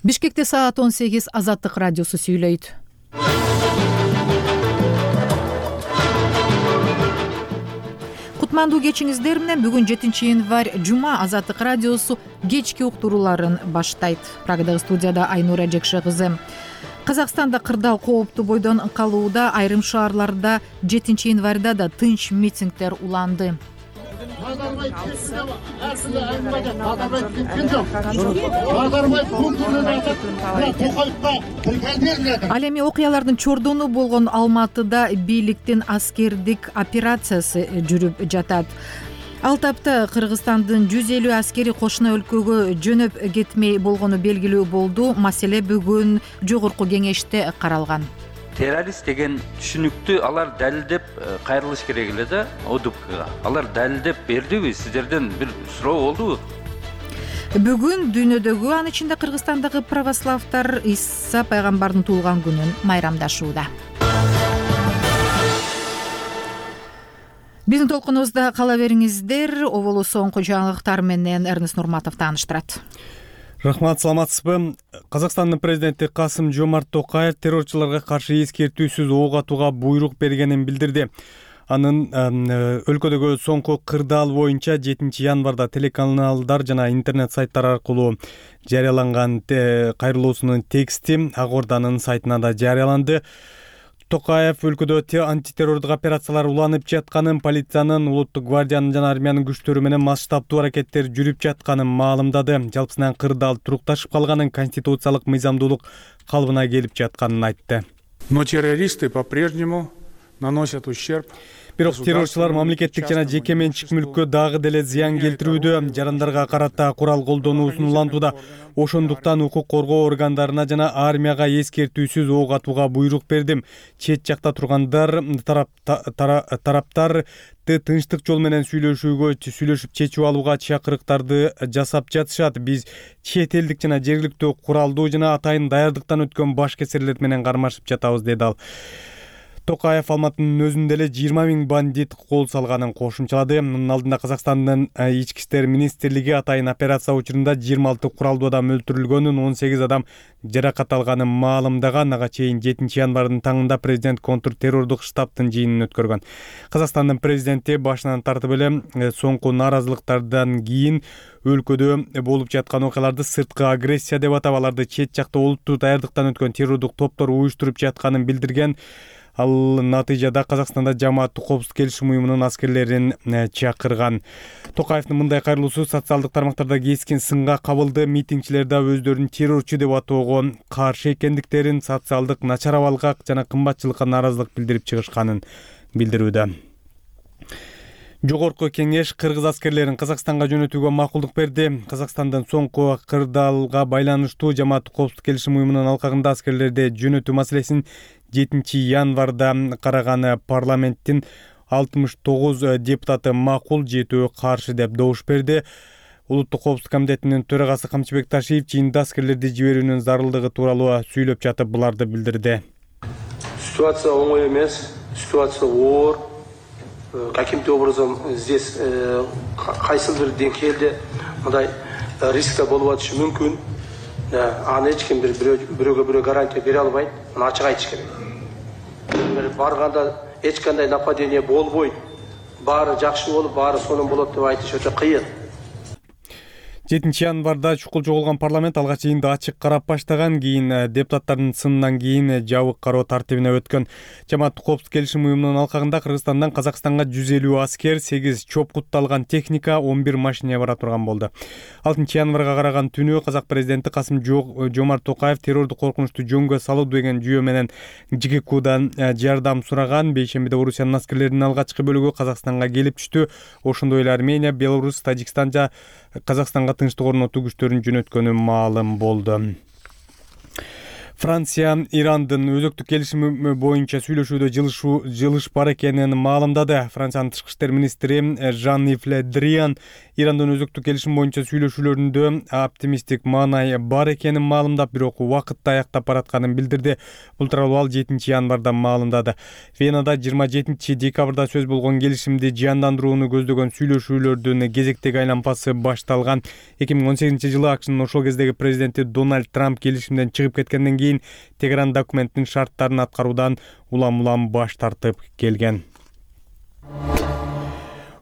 Бишкекте саат 18 Азаттык радиосу сүйлөйт. Кутмандуу кечиңиздер менен бүгүн 7-январь жума Азаттык радиосу кечки уктурууларын баштайт. Прагадагы студияда Айнура Жекше кызы. Казакстанда кырдаал кооптуу бойдон калууда, айрым шаарларда 7-январда да тынч митингдер уланды. Ал эми окуялардын чордону болгон Алматыда бийликтин аскердик операциясы жүрүп жатат. Ал тапта Кыргызстандын 150 аскери кошуна өлкөгө жөнөп кетмей болгону белгилүү болду. Маселе бүгүн жогорку кеңеште каралган. Террорист деген түшүнүктү алар далилдеп кайрылыш керек эле да ОДУКга. Алар далилдеп бердиби? Сиздерден бир суроо болдубу? Бүгүн дүйнөдөгү, анын ичинде Кыргызстандагы православдар Иса пайгамбардын туулган күнүн майрамдашууда. Биздин толкунубузда кала бериңиздер. Оболу соңку жаңылыктар менен Эрнест Нурматов тааныштырат. Рахмат, саламатсызбы? Казакстандын президенти Касым-Жомарт Токаев террорчуларга каршы эскертүүсүз ок атууга буйрук бергенин билдирди. Анын өлкөдөгү соңку кырдаал боюнча 7-январда телеканалдар жана интернет сайттар аркылуу жарыяланган кайрылуусунун тексти Ак Орданын сайтына да жарыяланды. Токаев өлкөдө антитеррордук операциялар уланып жатканын, полициянын, улуттук гвардиянын жана армиянын күчтөрү менен масштабдуу аракеттер жүрүп жатканын маалымдады. Жалпысынан кырдаал турукташып калганын, конституциялык мыйзамдуулук калыбына келип жатканын айтты. Но террористы по-прежнему наносят ущерб. Бирок террорчулар мамлекеттик жана жеке менчик мүлккө дагы деле зыян келтирүүдө, жарандарга карата курал колдонуусун улантууда. Ошондуктан укук коргоо органдарына жана армияга эскертүүсүз ок атууга буйрук бердим. Чет жакта тургандар тараптар тынчтык жол менен сүйлөшүп чечип алууга чакырыктарды жасап жатышат. Биз чет элдик жана жергиликтүү куралдуу жана атайын даярдыктан өткөн баш кесирлер менен кармашып жатабыз, деди ал. Токаев Алматынын өзүндө эле 20 000 бандит кол салганын кошумчалады. Мунун алдында Казакстандын ички иштер министрлиги атайын операция учурунда 26 куралдуу адам өлтүрүлгөнүн, 18 адам жаракат алганын маалымдаган. Ага чейин 7-январдын таңында президент контртеррордук штабтын жыйынын өткөргөн. Казакстандын президенти башынан тартып эле соңку нааразылыктардан кийин өлкөдө болуп жаткан окуяларды сырткы агрессия деп атап, аларды чет жакта олуттуу даярдыктан өткөн террордук топтор уюштуруп жатканын билдирген. Ал натыйжада Казакстанда жамааттык коопсуздук келишим уюмунун аскерлерин чакырган. Токаевдин мындай кайрылуусу социалдык тармактарда кескин сынга кабылды. Митингчилер да өздөрүн террорчу деп атоого каршы экендиктерин, социалдык начар абалга жана кымбатчылыкка нааразылык билдирип чыгышканын билдирүүдө. Жогорку кеңеш кыргыз аскерлерин Казакстанга жөнөтүүгө макулдук берди. Казакстандын соңку кырдаалга байланыштуу жамааттык коопсуздук келишим уюмунун алкагында аскерлерди жөнөтүү маселесин 7-январда караган парламенттин 69 депутаты макул, 7 каршы деп добуш берди. Улуттук коопсуздук комитетинин төрагасы Камчыбек Ташиев жыйында аскерлерди жиберүүнүн зарылдыгы тууралуу сүйлөп жатып буларды билдирди. Ситуация оңой эмес, ситуация оор. Каким-то образом здесь кайсылдыр деңгээлде мындай рисктер болуп атышы мүмкүн. Аны эч ким бирөөгө гарантия бере албайт. Аны ачык айтыш керек. Барганда эч кандай нападение болбойт. Баары жакшы болуп, баары сонун болот деп айтыш өтө кыйын. 7-январда чукул жоголгон парламент алгач жыйынды ачык карап баштаган, кийин депутаттардын сынынан кийин жабык кароо тартибине өткөн. Жамааттык коопсуздук келишим уюмунун алкагында Кыргызстандан Казакстанга 150 аскер, 8 чопкутталган техника, 11 машина бара турган болду. 6-январга караган түнү казак президенти Касым-Жомарт Токаев террордук коркунучту жөнгө салуу деген жүйө менен ЖККдан жардам сураган. Бейшембиде Орусиянын аскерлеринин алгачкы бөлүгү Казакстанга келип түштү. Ошондой эле Армения, Беларусь, Тажикстан жана Казакстанга тынчтык орнотуу күчтөрүн жөнөткөнү маалым болду. Франция Ирандын өзөктүк келишими боюнча сүйлөшүүдө жылыш бар экенин маалымдады. Франциянын тышкы иштер министри Жан-Ив Ле Дриан Ирандын өзөктүк келишим боюнча сүйлөшүүлөрүндө оптимисттик маанай бар экенин маалымдап, бирок убакытты аяктап баратканын билдирди. Бул тууралуу ал 7 январда маалымдады. Венада 27 декабрда сөз болгон келишимди жандандырууну көздөгөн сүйлөшүүлөрдүн кезектеги айланпасы башталган. 2018 жылы АКШнын ошол кездеги президенти Дональд Трамп келишимден чыгып кеткенден кийин Тегеран документтин шарттарын аткаруудан улам баш тартып келген.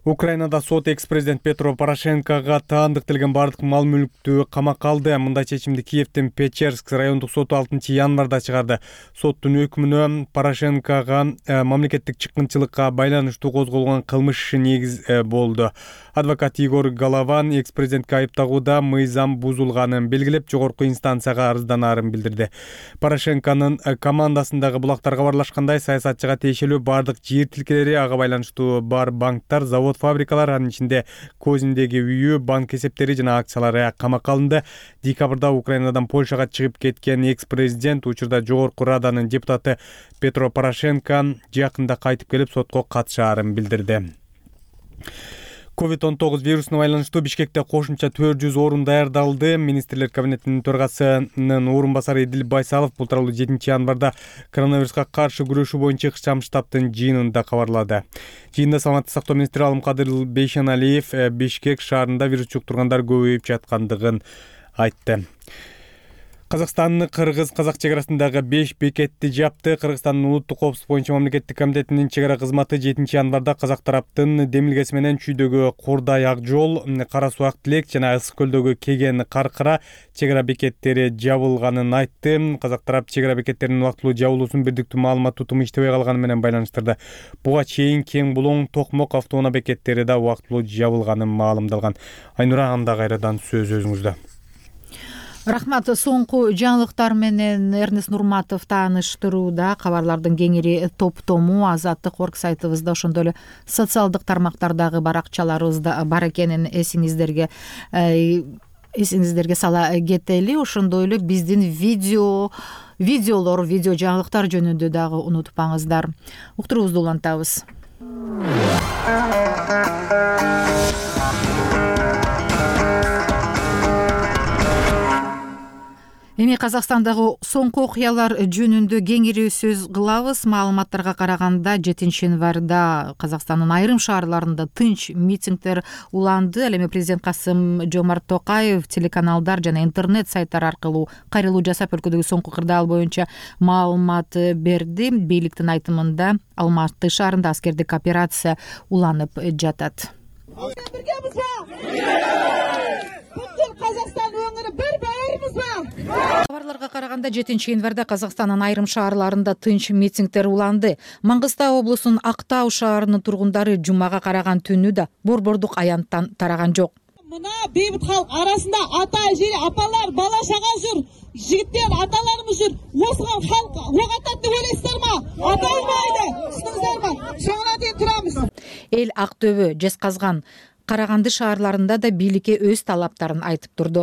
Украинада сот экс-президент Петро Порошенкого таандыкталган бардык мал-мүлктү камакка алды. Мындай чечимди Киевдин Печерск райондук соту 6 январда чыгарды. Соттун өкүмүнө Порошенкого мамлекеттик чыккынчылыкка байланыштуу козголгон кылмыш иши негиз болду. Адвокат Игорь Голован экс-президентке айыптагууда мыйзам бузулганын белгилеп, жогорку инстанцияга арызданаарын билдирди. Порошенконун командасындагы булактарга барлашкандай саясатчыга тиешелүү бардык жер тилкелери, ага байланыштуу бар банктар, завод, фабрикалар, анын ичинде Козиндеги үйү, банк эсептери жана акциялары камакка алынды. Декабрда Украинадан Польшага чыгып кеткен экс-президент учурда жогорку раданын депутаты Петро Порошенко жакында кайтып келип сотко катышаарын билдирди. COVID-19 вирусуна байланыштуу Бишкекте кошумча 400 орун даярдалды. Министрлер кабинетинин төрагасынын орун басары Эдил Байсалов бул тууралуу 7 январда коронавируска каршы күрөшүү боюнча ыкчам штабтын жыйынында кабарлады. Жыйында саламаттык сактоо министри Алымкадыр Бейшеналиев Бишкек шаарында вирус жуктургандар көбөйүп жаткандыгын айтты. Казакстан Кыргыз-Казак чек арасындагы 5 бекетти жапты. Кыргызстандын улуттук коопсуздук боюнча мамлекеттик комитетинин чек ара кызматы 7 январда Казак тараптын демилгеси менен Чүйдөгү Курдай Ак жол, Кара Суак Тилек жана Ысык көлдөгү Кеген Каркыра чек ара бекеттери жабылганын айтты. Казак тарап чек ара бекеттеринин убактылуу жабылуусун бирдиктүү маалымат тутуму иштебей калганы менен байланыштырды. Буга чейин Кең Булоң, Токмок автоунаа бекеттери да убактылуу жабылганын маалымдалган. Айнура, анда кайрадан сөз өзүңүздө. Рахмат. Соңку жаңылыктар менен Эрнест Нурматов тааныштырууда. Кабарлардын кеңири топтому Азаттык орг сайтыбызда, ошондой эле социалдык тармактардагы баракчаларыбызда бар экенин эсиңиздерге сала кетели. Ошондой эле биздин видео жаңылыктар жөнүндө дагы унутпаңыздар. Уктуруубузду улантабыз. Эми Казакстандагы соңку окуялар жөнүндө кеңири сөз кылабыз. Маалыматтарга караганда 7 январда Казакстандын айрым шаарларында тынч митингдер уланды. Ал эми президент Касым-Жомарт Токаев телеканалдар жана интернет сайттар аркылуу кайрылуу жасап, өлкөдөгү соңку кырдаал боюнча маалымат берди. Бийликтин айтымында Алматы шаарында аскердик операция уланып жатат. Казакстан өңүрү бир баарыбызбы? Кабарларга караганда 7 январда Казакстандын айрым шаарларында тынч митингдер уланды. Маңгыстау облусунун Актау шаарынын тургундары жумага караган түнү да борбордук аянттан тараган жок. Мына бейбит халк арасында ата, эже, апалар, бала чага жүр, жигиттер, аталарыбыз жүр. Осуга халк ок атат деп ойлойсуздарбы? Аталбайды. Түшүнүңүздөрбү? Соңуна чейин турабыз. Эл Актөбө, Жезказган, Караганды шаарларында да бийликке өз талаптарын айтып турду.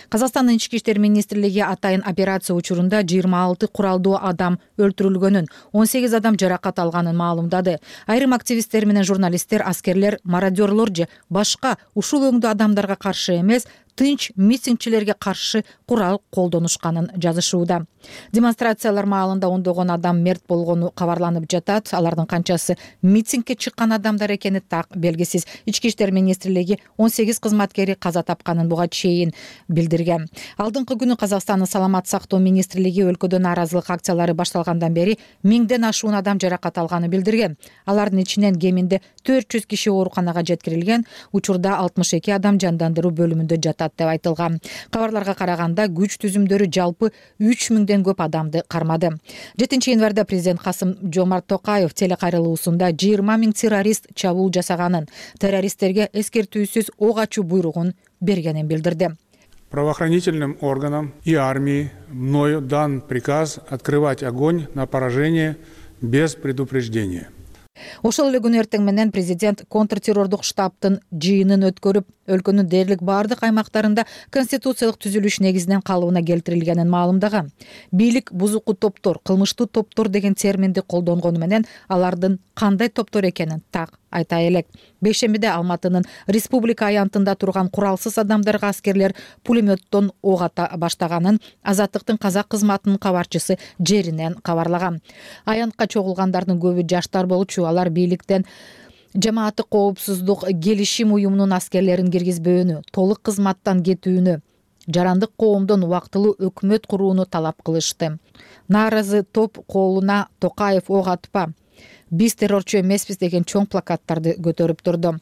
Казакстандын ички иштер министрлиги атайын операция учурунда 26 куралдуу адам өлтүрүлгөнүн, 18 адам жаракат алганын маалымдады. Айрым активисттер менен журналисттер, аскерлер, мародерлор же башка ушул өңдүү адамдарга каршы эмес, тынч митингчилерге каршы курал колдонушканын жазышууда. Демонстрациялар маалында ондогон адам мерт болгону кабарланып жатат. Алардын канчасы митингке чыккан адамдар экени так белгисиз. Ички иштер министрлиги 18 кызматкери каза тапканын буга чейин билдирген. Алдыңкы күнү Казакстандын саламат сактоо министрлиги өлкөдө нааразылык акциялары башталгандан бери 1000ден ашуун адам жаракат алганын билдирген. Алардын ичинен кеминде 400 киши ооруканага жеткирилген. Учурда 62 адам жандандыруу бөлүмүндө жатат деп айтылган. Кабарларга караганда күч түзүмдөрү жалпы 3000ден көп адамды кармады. 7 январда президент Касым-Жомарт Токаев телекайрылуусунда 20 000 террорист чабуул жасаганын, террористтерге эскертүүсүз ок ачуу буйругун бергенин билдирди. Правоохранительным органам и армии мною дан приказ открывать огонь на поражение без предупреждения. Ошол эле күнү эртең менен президент контртеррордук штабтын жыйынын өткөрүп, өлкөнүн дээрлик баардык аймактарында конституциялык түзүлүш негизинен калыбына келтирилгенин маалымдаган. Бийлик бузуку топтор, кылмыштуу топтор деген терминди колдонгону менен алардын кандай топтор экенин так айта элек. Бейшембиде Алматынын Республика аянтында турган куралсыз адамдарга аскерлер пулеметтон ок ата баштаганын Азаттыктын казак кызматынын кабарчысы жеринен кабарлаган. Аянтка чогулгандардын көбү жаштар болчу. Алар бийликтен жамааттык коопсуздук келишим уюмунун аскерлерин киргизбөөнү, толук кызматтан кетүүнү, жарандык коомдон убактылуу өкмөт курууну талап кылышты. Нааразы топ колуна Токаев ок атпа, биз террорчу эмеспиз деген чоң плакаттарды көтөрүп турду.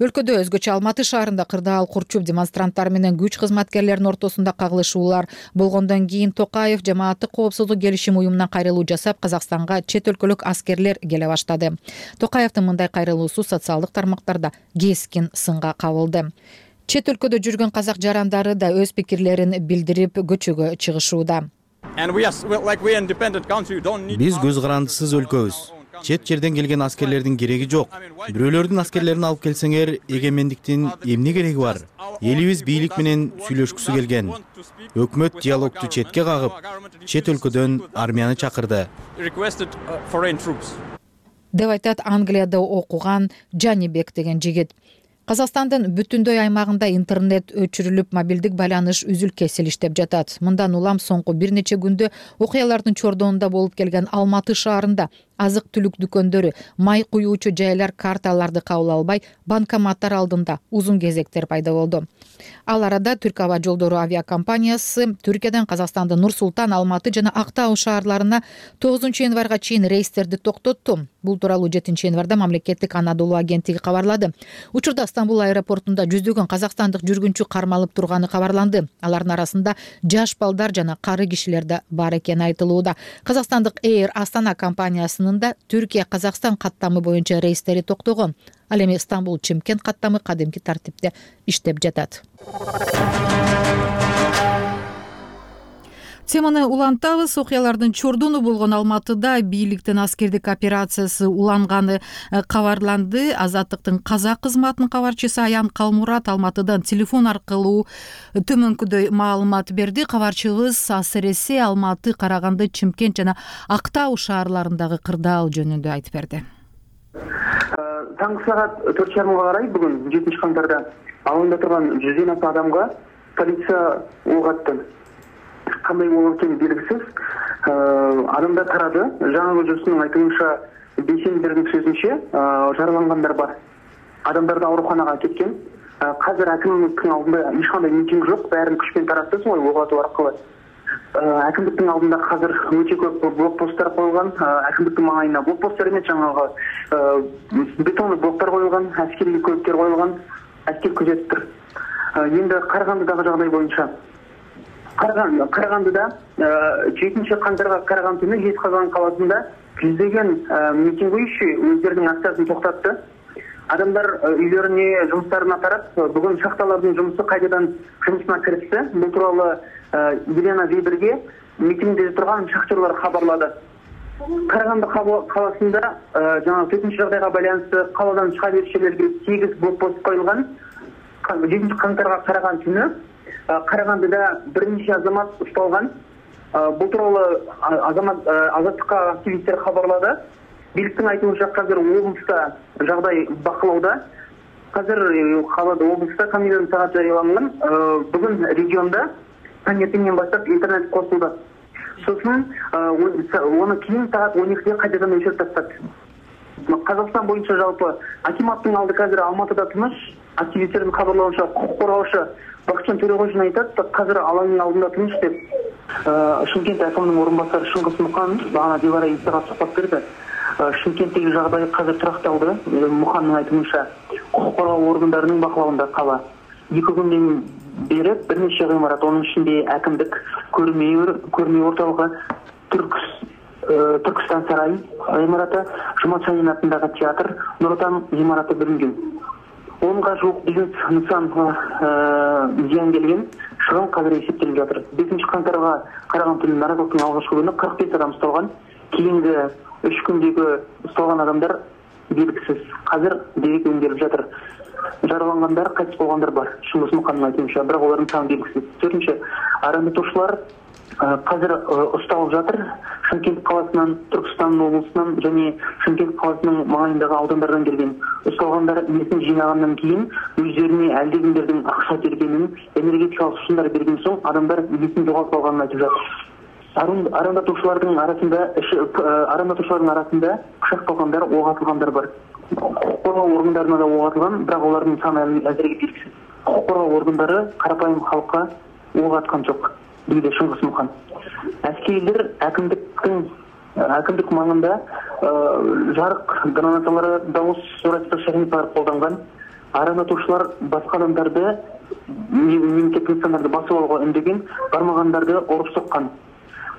Өлкөдө өзгөчө Алматы шаарында кырдаал курчуп демонстранттар менен күч кызматкерлеринин ортосунда кагылышуулар болгондон кийин Токаев жамааттык коопсуздук келишим уюмунан кайрылуу жасап, Казакстанга чет өлкөлүк аскерлер келе баштады. Токаевдин мындай кайрылуусу социалдык тармактарда кескин сынга кабылды. Чет өлкөдө жүргөн казак жарандары да өз пикирлерин билдирип көчөгө чыгышууда. Биз көз карандысыз өлкөбүз. Чет жерден келген аскерлердин кереги жок. Бирөөлөрдүн аскерлерин алып келсеңер, эгемендиктин эмне кереги бар? Элибиз бийлик менен сүйлөшкүсү келген. Өкмөт диалогду четке кагып, чет өлкөдөн армияны чакырды. Деп айтат Англияда окуган Жанибек деген жигит. Казакстандын бүтүндөй аймагында интернет өчүрүлүп, мобилдик байланыш үзүл-кесил иштеп жатат. Мындан улам соңку бир нече күндө окуялардын чордонунда болуп келген Алматы шаарында азык-түлүк дүкөндөрү, май куюучу жайлар карталарды кабыл албай, банкоматтар алдында узун кезектер пайда болду. Ал арада Түрк аба жолдору авиакомпаниясы Түркиядан Казакстандын Нур-Султан, Алматы жана Актау шаарларына 9 январга чейин рейстерди токтотту. Бул тууралуу 7 январда мамлекеттик Анадолу агенттиги кабарлады. Учурда Стамбул аэропортунда жүздөгөн казакстандык жүргүнчү кармалып турганы кабарланды. Алардын арасында жаш балдар жана кары кишилер да бар экени айтылууда. Казакстандык Air Астана компаниясынын да Түркия-Казакстан каттамы боюнча рейстери токтогон. Ал эми Стамбул-Чимкент каттамы кадимки тартипте иштеп жатат. Теманы улантабыз. Окуялардын чордону болгон Алматыда бийликтин аскердик операциясы уланганы кабарланды. Азаттыктын казак кызматынын кабарчысы Аян Калмурат Алматыдан телефон аркылуу төмөнкүдөй маалымат берди. Кабарчыбыз АСРС Алматы, Караганды, Чимкент жана Актау шаарларындагы кырдаал жөнүндө айтып берди. Таңғы сағат 4:30 карай бүгүн 7 кантарда алында турган 100ден аса адамга полиция ок атты. Кандай болуп экени белгисиз. Адамдар тарады. Жаңы көчөсүнүн айтымынча бейшембидин сөзүнчө жаралангандар бар. Адамдарды ооруканага кеткен. Казыр акимдиктин алдында эч кандай митинг жок, баарын күчпен таратты, ой ок атуу аркылы. Акимдиктин алдында казыр өтө көп блокпосттор коюлган. Акимдиктин маңайына блокпосттор эмес, жаңагы бетондуу блоктор коюлган, аскерий көлүктөр коюлган, аскер күзөтүп тур. Эми Карагандыдагы жагдай боюнча Карагандыда 7 кантарга караган түнү Жезказган каласында жүздөгөн митинг уюшу өздөрүнүн акциясын токтотты. Адамдар үйлөрүнө, жумуштарына тарап, бүгүн шахталардын жумусу кайрадан жумусуна киришти. Бул тууралуу Елена Виберге митингде турган шахтерлар кабарлады. Караганды каласында жана төтөнчө жагдайга байланыштуу каладан чыга беришчилерге 8 блокпост коюлган. 7 кантарга караган түнү Карагандыда бир нече азамат ушталган. Бул тууралуу азаттыкка активисттер кабарлады. Бийликтин айтымынча казыр облуста жагдай бакылауда. Казыр калада облуста камералар саат жарыяланган. Бүгүн регионда таңертеңден баштап интернет косулду. Сосын оны кийин саат 12-де кайрадан өчүрүп тастады. Казакстан боюнча жалпы акиматтын алды казыр Алматыда тыныч. Активисттердин кабарлауынча укук коргоочу Бакытжан Төрөгожин айтат, казыр алаңдын алдында тыныч деп. Шымкент акиминин орун басары Шыңгыз Мукан бана Дилара Исага сухбат берди. Шымкенттеги жагдай казыр тракталды. Муханның айтымынча укук коргоо органдарынын бакылауында кала. 2 күндөн бери бир нече гыймарат, анын ичинде акимдик, көрмө орталыгы, Түркстан сарайы гыймараты, Жумат Шайын атындагы театр, Нур Отан гыймараты бүлүнгөн. 10га жук бизнес нысан зыян келген, чыгым казыр эсептелип жатыр. 5 кантарга караган түнү наразылыктын алгачкы күнү 45 адам ушталган. Кийинки 3 күндөгү ушталган адамдар белгисиз. Азыр дерек өңдөлүп жатыр. Жаралангандар, кайтып калгандар бар. Шыңгыз Мукандын айтымынча, бирок алардын саны белгисиз. Төртүнчү, арандатуучулар қазір ұсталып жатыр. Шымкент қаласынан, Түркістан облысынан және Шымкент қаласының маңайындағы аудандардан келген. Ұсталғандар есін жинағаннан кейін өздеріне әлдекімдердің ақша бергенін, энергетикалық сусындар берген соң адамдар есін жоғалтып алғанын айтып жатыр. Арандатушылардың арасында пышақталғандар, оқ атылғандар бар. Құқық қорғау органдарына да оқ атылған, бірақ олардың саны әзірге белгісіз. Құқық қорғау органдары қарапайым халыққа оқ атқан жоқ, дейді Шыңғыс Мұқан. Әскерилер әкімдік маңында жарық гранаталары, дауыс зорайтқыш техникалар қолданған. Арандатушылар басқа адамдарды, мемлекеттік нысандарды басып алуға үндеген, бармағандарды ұрып соққан.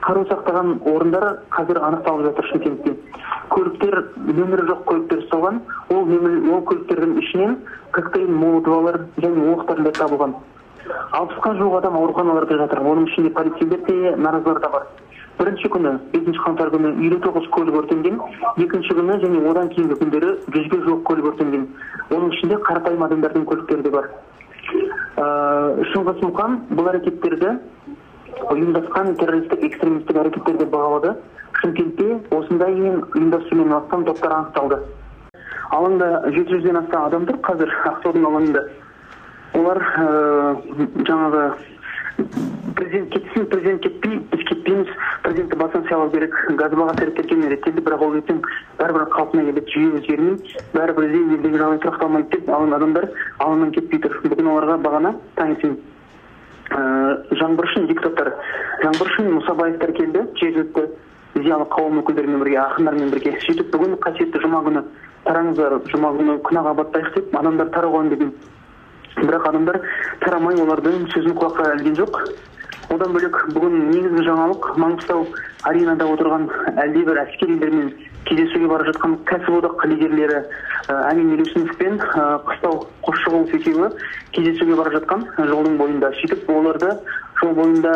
Қару сақтаған орындар қазір анықталып жатыр Шымкентте. Көліктер, нөмірі жоқ көліктер ұсталған. Ол көліктердің ішінен коктейль, молотовалар және оқтар табылған. 60-қа жуық адам ауруханаларда жатыр. Оның ішінде полицейлер де, наразылар да бар. Бірінші күні, 5 қаңтар күні 59 көлік өртенген, екінші күні және одан кейінгі күндері 100-ге жуық көлік өртенген. Оның ішінде қарапайым адамдардың көліктері де бар. Шыңғыс Мұқан бұл әрекеттерді ұйымдасқан террористік экстремистік әрекеттерді бағалады. Шымкентте осындай ұйымдасумен астам топтар анықталды. Алаңда 700-ден астам адамдар қазір Ақтаудың алаңында. Олар жаңағы президент кетсін, президент кетпей, біз кетпейміз, президентті басын сайлау керек, газ бағасы реттелген реттелді, бірақ ол ертең бәрібір қалпына келеді, жүйе өзгермей, бәрібір елдегі жағдай тұрақталмайды деп адамдар алаңнан кетпей тұр. Бүгін оларға бағана таңертең жаңбыршын депутаттар, жаңбыршын Мұсабаевтар келді, жергілікті зиялы қауым өкілдерімен бірге, ақындармен бірге. Сөйтіп бүгін қасиетті жұма күні тараңыздар, жұма күні күнәға батпайық деп адамдар тарауған деген. Бірақ адамдар тарамай, олардың сөзін құлаққа ілген жоқ. Одан бөлек бүгін негізгі жаңалық Маңғыстау аренада отырған әлдебір әскерилермен кездесуге бара жатқан кәсіподақ лидерлері Әмин Елеусінов пен Қыстау Қосшығұлов екеуі кездесуге бара жатқан жолдың бойында. Сөйтіп оларды жол бойында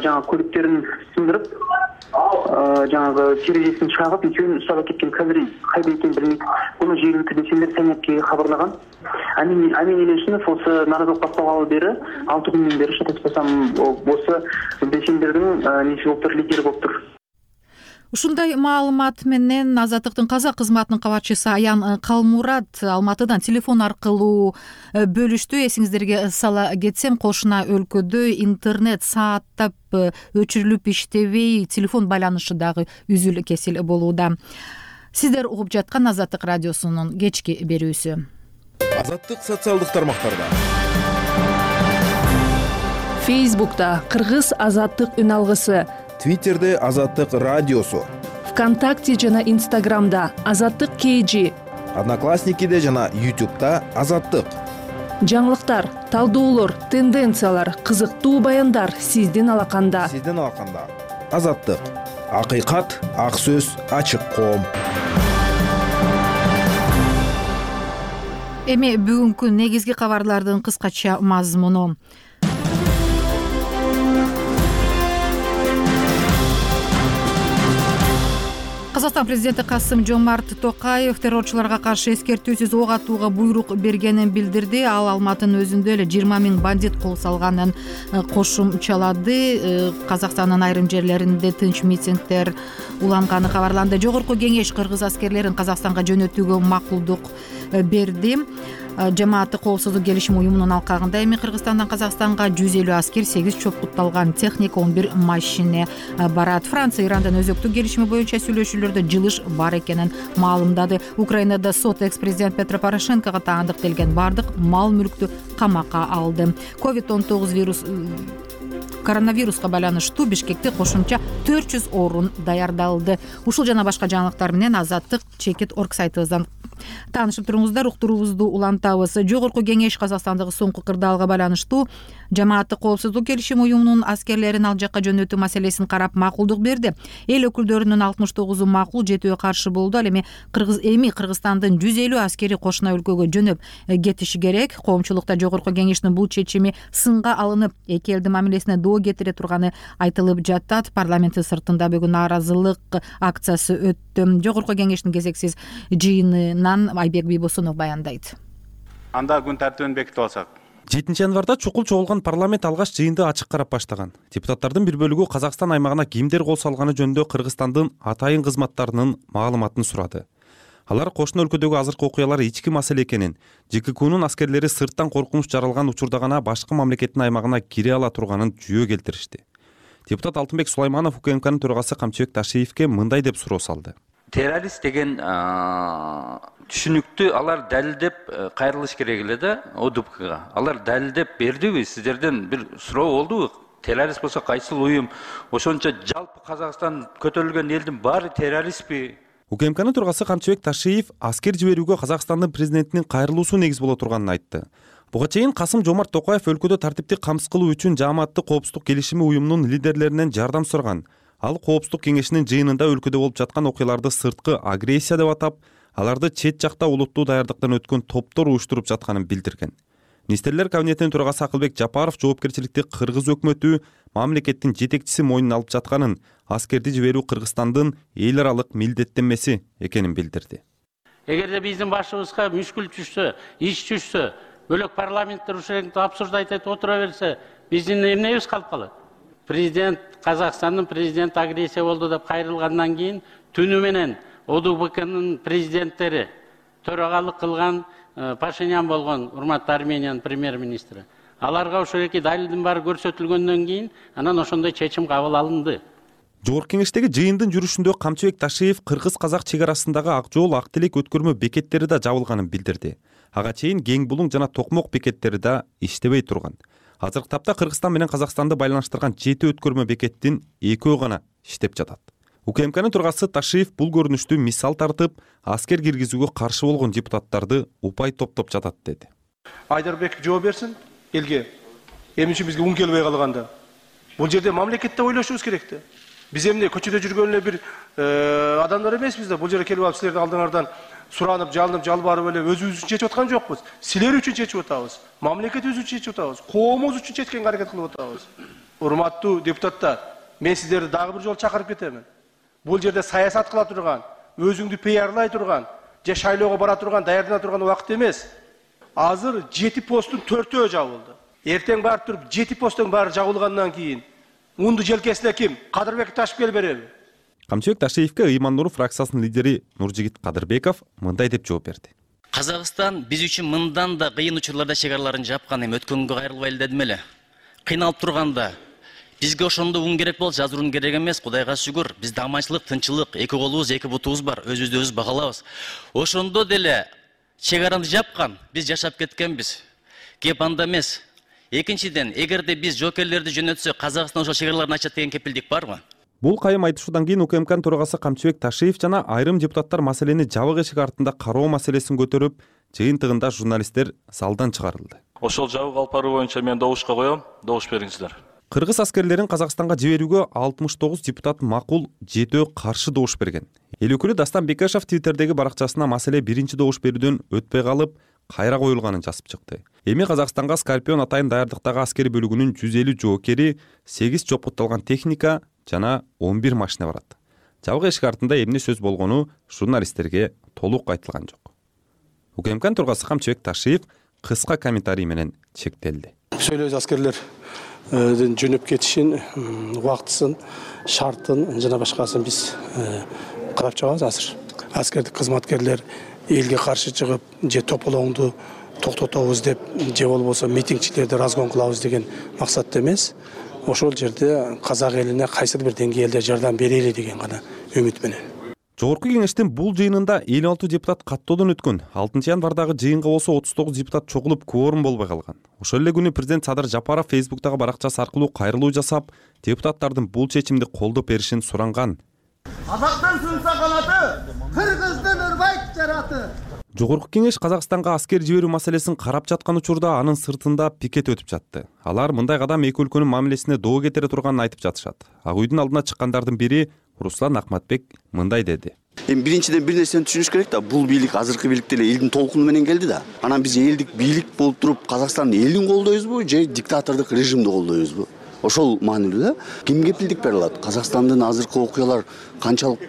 жаңа көліктерін сындырып, жаңағы терезесін шағып, екеуін ұстап кеткен. Қазір қайда екенін білмейді. Бұны жергілікті белсенділер таңертеңге хабарлаған. Әмин Елеусінов осы наразылық басталғалы бері 6 күннен бері шатаспасам осы белсенділердің несі болып тұр, лидері болып тұр. Ушундай маалымат менен Азаттыктын казак кызматынын кабарчысы Аян Калмурат Алматыдан телефон аркылуу бөлүштү. Эсиңиздерге сала кетсем, кошуна өлкөдө интернет сааттап өчүрүлүп иштебей, телефон байланышы дагы үзүл кесил болууда. Сиздер угуп жаткан Азаттык радиосунун кечки берүүсү. Азаттык социалдык тармактарда. Фейсбукта Кыргыз Азаттык үн алгысы, Твиттерде Азаттык радиосу, ВКонтакте жана Инстаграмда Азаттык KG, Одноклассникиде жана YouTube'да Азаттык. Жаңылыктар, талдоолор, тенденциялар, кызыктуу баяндар сиздин алаканда. Азаттык. Акыйкат, ак сөз, ачык коом. Эми бүгүнкү негизги кабарлардын кыскача мазмуну. Казакстан президенти Касым-Жомарт Токаев террорчуларга каршы эскертүүсүз ок атууга буйрук бергенин билдирди. Ал Алматынын өзүндө эле 20 000 бандит кол салганын кошумчалады. Казакстандын айрым жерлеринде тынч митингдер уланганы кабарланды. Жогорку кеңеш кыргыз аскерлерин Казакстанга жөнөтүүгө макулдук берди. Жамааттык коопсуздук келишим уюмунун алкагында эми Кыргызстандан Казакстанга 150 аскер, 8 чопкутталган техника, 11 машина барат. Франция Ирандан өзөктүк келишими боюнча сүйлөшүүлөрдө жылыш бар экенин маалымдады. Украинада сот экс-президент Петро Порошенкого таандыктелген бардык мал мүлктү камакка алды. Коронавируска байланыштуу Бишкекте кошумча 400 орун даярдалды. Ушул жана башка жаңылыктар менен Азаттык Чекит.org сайтыбыздан таанышып туруңуздар, уктуруубузду улантабыз. Жогорку кеңеш Казакстандагы соңку кырдаалга байланыштуу жамааттык коопсуздук келишим уюмунун аскерлерин ал жакка жөнөтүү маселесин карап макулдук берди. Эл өкүлдөрүнүн 69 макул, 7 каршы болду. Ал эми Кыргызстандын 150 аскери кошуна өлкөгө жөнөп кетиши керек. Коомчулукта жогорку кеңештин бул чечими сынга алынып, эки элдин мамилесине доо кетире турганы айтылып жатат. Парламенттин сыртында бүгүн нааразылык акциясы өттү. Жогорку кеңештин кезексиз жыйынына районунан Айбек Бийбосунов баяндайт. Анда күн тартибин бекитип алсак. 7-январда чукул чогулган парламент алгач жыйынды ачык карап баштаган. Депутаттардын бир бөлүгү Казакстан аймагына кимдер кол салганы жөнүндө Кыргызстандын атайын кызматтарынын маалыматын сурады. Алар кошуна өлкөдөгү азыркы окуялар ички маселе экенин, ЖККнун аскерлери сырттан коркунуч жаралган учурда гана башка мамлекеттин аймагына кире ала турганын жүйө келтиришти. Депутат Алтынбек Сулайманов УКМКнын төрагасы Камчыбек Ташиевке мындай деп суроо салды. Террорист деген түшүнүктү алар далилдеп кайрылыш керек эле да ОДУПКга. Алар далилдеп бердиби? Сиздерден бир суроо болдубу? Террорист болсо кайсыл уюм? Ошончо жалпы Казакстан көтөрүлгөн элдин баары террористпи? УКМКнын төрагасы Камчыбек Ташиев аскер жиберүүгө Казакстандын президентинин кайрылуусу негиз боло турганын айтты. Буга чейин Касым-Жомарт Токаев өлкөдө тартипти камсыз кылуу үчүн Жааматтык коопсуздук келишими уюмунун лидерлеринен жардам сураган. Ал Коопсуздук кеңешинин жыйынында өлкөдө болуп жаткан окуяларды сырткы агрессия деп атап, аларды чет жакта улуттуу даярдыктан өткөн топтор уюштуруп жатканын билдирген. Министрлер кабинетинин төрагасы Акылбек Жапаров жоопкерчиликти Кыргыз өкмөтү, мамлекеттин жетекчиси мойнуна алып жатканын, аскерди жиберүү Кыргызстандын эл аралык милдеттенмеси экенин билдирди. Эгерде биздин башыбызга мүшкүл түшсө, иш түшсө, бөлөк парламенттер ушул обсуждать этип отура берсе, биздин эмнебиз калып калат? Президент, Казакстандын президенти агрессия болду деп кайрылгандан кийин түнү менен ОДУПКнын президенттери төрагалык кылган Пашинян болгон, урматтуу Армениянын премьер-министри. Аларга ошол эки далилдин баары көрсөтүлгөндөн кийин анан ошондой чечим кабыл алынды. Жогорку кеңештеги жыйындын жүрүшүндө Камчыбек Ташиев кыргыз-казак чек арасындагы Ак Жол, Ак Тилек өткөрмө бекеттери да жабылганын билдирди. Ага чейин Кең Булуң жана Токмок бекеттери да иштебей турган. Азыркы тапта Кыргызстан менен Казакстанды байланыштырган 7 өткөрмө бекеттин 2 гана иштеп жатат. УКМКнын төрагасы Ташиев бул көрүнүштү мисал тартып, аскер киргизүүгө каршы болгон депутаттарды упай топтоп жатат деди. Айдарбек жооп берсин элге. Эмне үчүн бизге ун келбей калганда? Бул жерде мамлекетте ойлошубуз керек да. Биз эмне көчөдө жүргөн эле бир адамдар эмеспиз да. Бул жерге келип алып силердин алдыңардан суранып, жалынып, жалбарып эле өзүбүз үчүн чечип аткан жокпуз. Силер үчүн чечип атабыз. Мамлекетибиз үчүн чечип атабыз. Коомубуз үчүн чечкенге аракет кылып атабыз. Урматтуу депутаттар, мен сиздерди дагы бир жолу чакырып кетемин. Бул жерде саясат кыла турган, өзүңдү пиарлай турган, же шайлоого бара турган, даярдана турган убакыт эмес. Азыр 7 посттун 4-өө жабылды. Эртең барып туруп 7 посттун баары жабылгандан кийин унду желкесине ким? Кадырбек ташып кел береби? Камчыбек Ташиевке Ыйман Нуров фракциясынын лидери Нуржигит Кадырбеков мындай деп жооп берди. Казакстан биз үчүн мындан да кыйын учурларда чек араларын жапкан, эми өткөнгө кайрылбайлы дедим эле. Кыйналып турганда бизге ошондо ун керек болчу, азыр ун керек эмес, Кудайга шүгүр. Бизде аманчылык, тынчылык, эки колубуз, эки бутубуз бар, өзүбүздү өзүбүз багалабыз. Ошондо деле чек араны жапкан, биз жашап кеткенбиз. Кеп анда эмес. Экинчиден, эгерде биз жоокерлерди жөнөтсөк, Казакстан ошол чек араларын ачат деген кепилдик барбы? Бул кайым айтышуудан кийин УКМКнын төрагасы Камчыбек Ташиев жана айрым депутаттар маселени жабык эшик артында кароо маселесин көтөрүп, жыйынтыгында журналисттер залдан чыгарылды. Ошол жабык алып баруу боюнча мен добушка коем, добуш бериңиздер. Кыргыз аскерлерин Казакстанга жиберүүгө 69 депутат макул, 7 каршы добуш берген. Эл өкүлү Дастан Бекешев Твиттердеги баракчасына маселе биринчи добуш берүүдөн өтпөй калып, кайра коюлганын жазып чыкты. Эми Казакстанга Скорпион атайын даярдыктагы аскери бөлүгүнүн 150 жоокери, 8 чопутталган техника жана 11 машина барат. Жабык эшик артында эмне сөз болгону журналисттерге толук айтылган жок. УКМКнын төрагасы Камчыбек Ташиев кыска комментарий менен чектелди. Сөйлөөбүз аскерлердин жөнөп кетишин, убактысын, шартын жана башкасын биз карап чыгабыз азыр. Аскердик кызматкерлер элге каршы чыгып, же тополоңду токтотобуз деп, же болбосо митингчилерди разгон кылабыз деген максатта эмес. Ошол жерде казак элине кайсыр бир деңгээлде жардам берели деген гана үмүт менен. Жогорку кеңештин бул жыйынында 56 депутат каттоодон өткөн. 6 январдагы жыйынга болсо 39 депутат чогулуп кворум болбой калган. Ошол эле күнү президент Садыр Жапаров Фейсбуктагы баракчасы аркылуу кайрылуу жасап, депутаттардын бул чечимди колдоп беришин суранган. Казактын сынса канаты, Кыргыздын ырбайт жараты. Жогорку кеңеш Казакстанга аскер жиберүү маселесин карап жаткан учурда анын сыртында пикет өтүп жатты. Алар мындай кадам эки өлкөнүн мамилесине доо кетире турганын айтып жатышат. Ак үйдүн алдына чыккандардын бири Руслан Акматбек мындай деди. Эми биринчиден бир нерсени түшүнүш керек да, бул бийлик азыркы бийлик деле элдин толкуну менен келди да. Анан биз элдик бийлик болуп туруп Казакстандын элин колдойбузбу, же диктатордук режимди колдойбузбу? ошол маанилүү да. Ким кепилдик бере алат? Казакстандын азыркы окуялар канчалык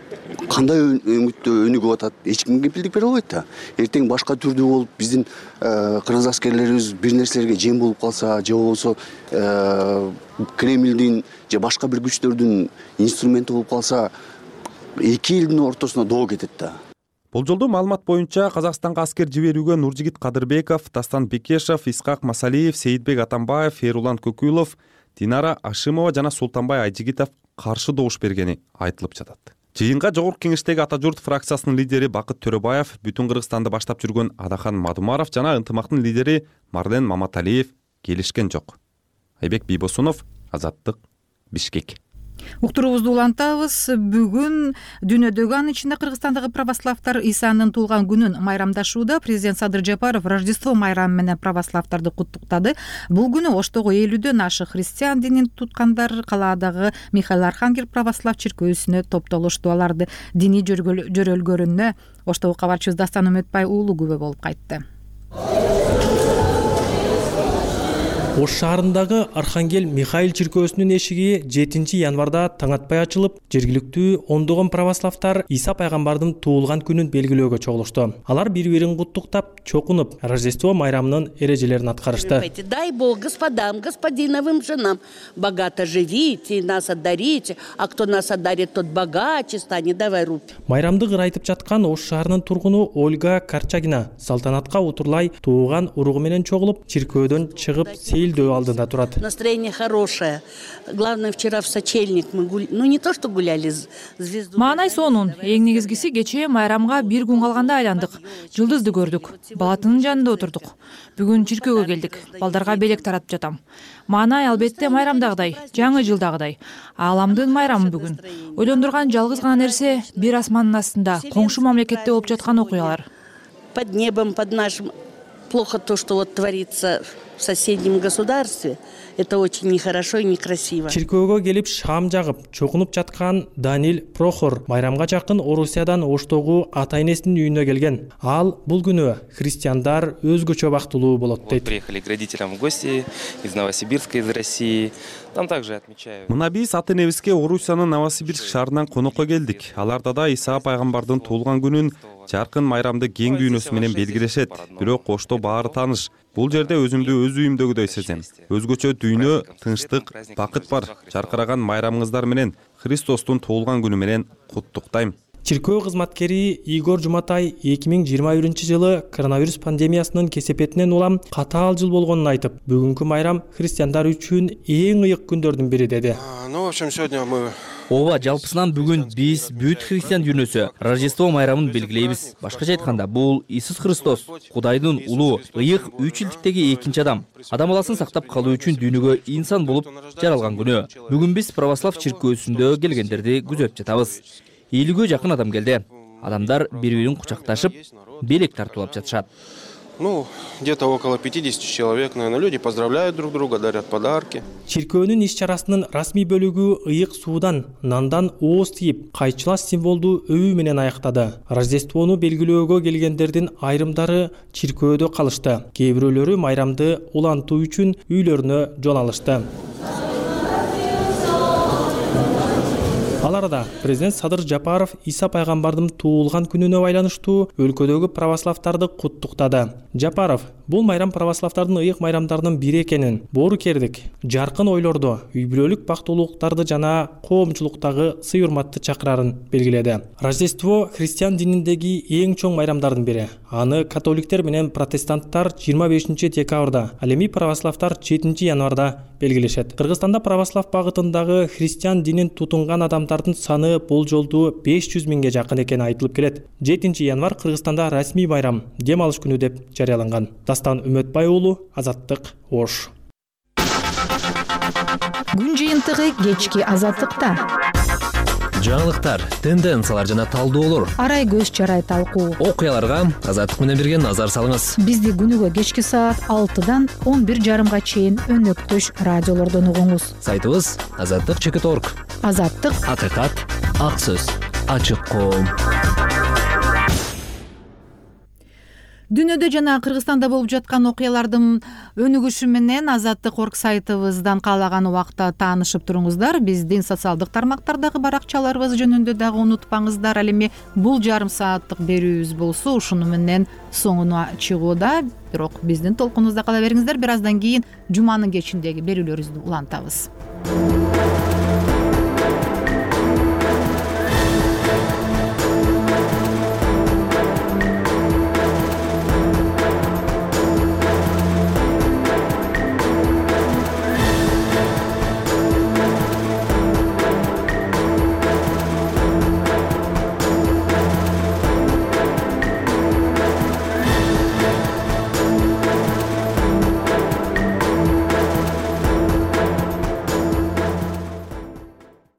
кандай өңүттө өнүгүп атат? Эч ким кепилдик бере албайт да. Эртең башка түрдүү болуп биздин кыргыз аскерлерибиз бир нерселерге жем болуп калса, же болбосо Кремлдин же башка бир күчтөрдүн инструменти болуп калса, эки элдин ортосуна доо кетет да. Болжолдуу маалымат боюнча Казакстанга аскер жиберүүгө Нуржигит Кадырбеков, Дастан Бекешев, Исхак Масалиев, Сейитбек Атамбаев, Ферулан Көкүлов, Динара Ашимова жана Султанбай Айжигитов каршы добуш бергени айтылып жатат. Жыйынга Жогорку Кеңештеги Ата журт фракциясынын лидери Бакыт Төрөбаев, Бүтүн Кыргызстанды баштап жүргөн Адахан Мадумаров жана Ынтымактын лидери Марлен Маматалиев келишкен жок. Айбек Бийбосунов, Азаттык, Бишкек. Уктуруубузду улантабыз. Бүгүн дүйнөдөгү, анын ичинде Кыргызстандагы православдар Исанын туулган күнүн майрамдашууда. Президент Садыр Жапаров Рождество майрамы менен православдарды куттуктады. Бул күнү Оштогу элүүдөн ашык христиан динин туткандар калаадагы Михаил Архангел православ чиркөөсүнө топтолушту. Аларды диний жөрөлгөрүнө Оштогу кабарчыбыз Дастан Үмөтбай уулу күбө болуп кайтты. Ош шаарындагы Архангел Михаил чиркөөсүнүн эшиги 7 январда таң атпай ачылып, жергиликтүү ондогон православдар Иса пайгамбардын туулган күнүн белгилөөгө чогулушту. Алар бири-бирин куттуктап, чокунуп, Рождество майрамынын эрежелерин аткарышты. Дай Бог господам, господиновым женам богато живите, нас одарите, а кто нас одарит, тот богаче станет, давай руки. Майрамды ырайтып жаткан Ош шаарынын тургуну Ольга Карчагина салтанатка утурлай тууган уругу менен чогулуп, чиркөөдөн чыгып, сейилдөө алдында турат. Настроение хорошее. Главное, вчера в сочельник мы не то что гуляли, звезду. Маанай сонун. Эң негизгиси кечээ майрамга бир күн калганда айландык. Жылдызды көрдүк. Балатынын жанында отурдук. Бүгүн чиркөөгө келдик. Балдарга белек таратып жатам. Маанай албетте майрамдагыдай, жаңы жылдагыдай. Ааламдын майрамы бүгүн. Ойлондурган жалгыз гана нерсе бир асмандын астында коңшу мамлекетте болуп жаткан окуялар. Под небом, под нашим плохо то, что вот творится в соседнем государстве. Это очень нехорошо и некрасиво. Чиркөөгө келип шам жагып, чокунуп жаткан Данил Прохор майрамга жакын Орусиядан Оштогу ата-энесинин үйүнө келген. Ал бул күнү христиандар өзгөчө бактылуу болот дейт. Приехали к родителям в гости из Новосибирска, из России. Там также отмечают. Мына биз ата-энебизге Орусиянын Новосибирск шаарынан конокко келдик. Аларда да Иса пайгамбардын туулган күнүн жаркын майрамды кең дүйнөсү менен белгилешет. Бирок Ошто баары тааныш. Бул жерде өзүмдү өз үйүмдөгүдөй сезем. Өзгөчө дүйнө, тынчтык, бакыт бар. Жаркыраган майрамыңыздар менен Христостун туулган күнү менен куттуктайм. Чиркөө кызматкери Игорь Жуматай 2021-жылы коронавирус пандемиясынын кесепетинен улам катаал жыл болгонун айтып, бүгүнкү майрам христиандар үчүн эң ыйык күндөрдүн бири деди. Ну, в общем, сегодня мы Ооба, жалпысынан бүгүн биз бүт христиан дүйнөсү Рождество майрамын белгилейбиз. Башкача айтканда, бул Иисус Христос, Кудайдын улуу, ыйык 3 жылдыктеги экинчи адам. Адам баласын сактап калуу үчүн дүйнөгө инсан болуп жаралган күнү. Бүгүн биз православ чиркөөсүндө келгендерди күзөтүп жатабыз. Элүүгө жакын адам келди. Адамдар бири-бирин кучакташып, белек тартуулап жатышат. Ну, где-то около 50 человек, наверное, люди поздравляют друг друга, дарят подарки. Чиркөөнүн иш-чарасынын расмий бөлүгү ыйык суудан, нандан ооз тийип, кайчылаш символдуу өбүү менен аяктады. Рождествону белгилөөгө келгендердин айрымдары чиркөөдө калышты. Кээ бирөөлөрү майрамды улантуу үчүн үйлөрүнө жол алышты. Аларда президент Садыр Жапаров Иса пайгамбардын туулган күнүнө байланыштуу өлкөдөгү православдарды куттуктады. Жапаров бул майрам православдардын ыйык майрамдарынын бири экенин, боорукердик, жаркын ойлорду, үй бүлөлүк бактылуулуктарды жана коомчулуктагы сый-урматты чакырарын белгиледи. Рождество христиан дининдеги эң чоң майрамдардын бири. Аны католиктер менен протестанттар 25 декабрда, ал эми православдар 7 январда белгилешет. Кыргызстанда православ багытындагы христиан динин тутунган адамдардын саны болжолдуу 500 миңге жакын экени айтылып келет. 7 январ Кыргызстанда расмий байрам, дем алыш күнү деп жарыяланган. Дастан Үмөтбай уулу, Азаттык, Ош. Күн жыйынтыгы кечки Азаттыкта. Жаңылыктар, тенденциялар жана талдоолор. Арай көз чарай талкуу. Окуяларга Азаттык менен бирге назар салыңыз. Бизди күнүгө кечки саат 6-дан 11:30 чейин өнөктөш радиолордон угуңуз. Сайтыбыз azаттык.org. Азаттык, акыйкат, ак сөз, ачык коом. Дүйнөдө жана Кыргызстанда болуп жаткан окуялардын өнүгүшү менен Азаттык орг сайтыбыздан каалаган убакта таанышып туруңуздар. Биздин социалдык тармактардагы баракчаларыбыз жөнүндө дагы унутпаңыздар. Ал эми бул жарым сааттык берүүбүз болсо ушуну менен соңуна чыгууда. Бирок биздин толкунубузда кала бериңиздер. Бир аздан кийин жуманын кечиндеги берүүлөрүбүздү улантабыз.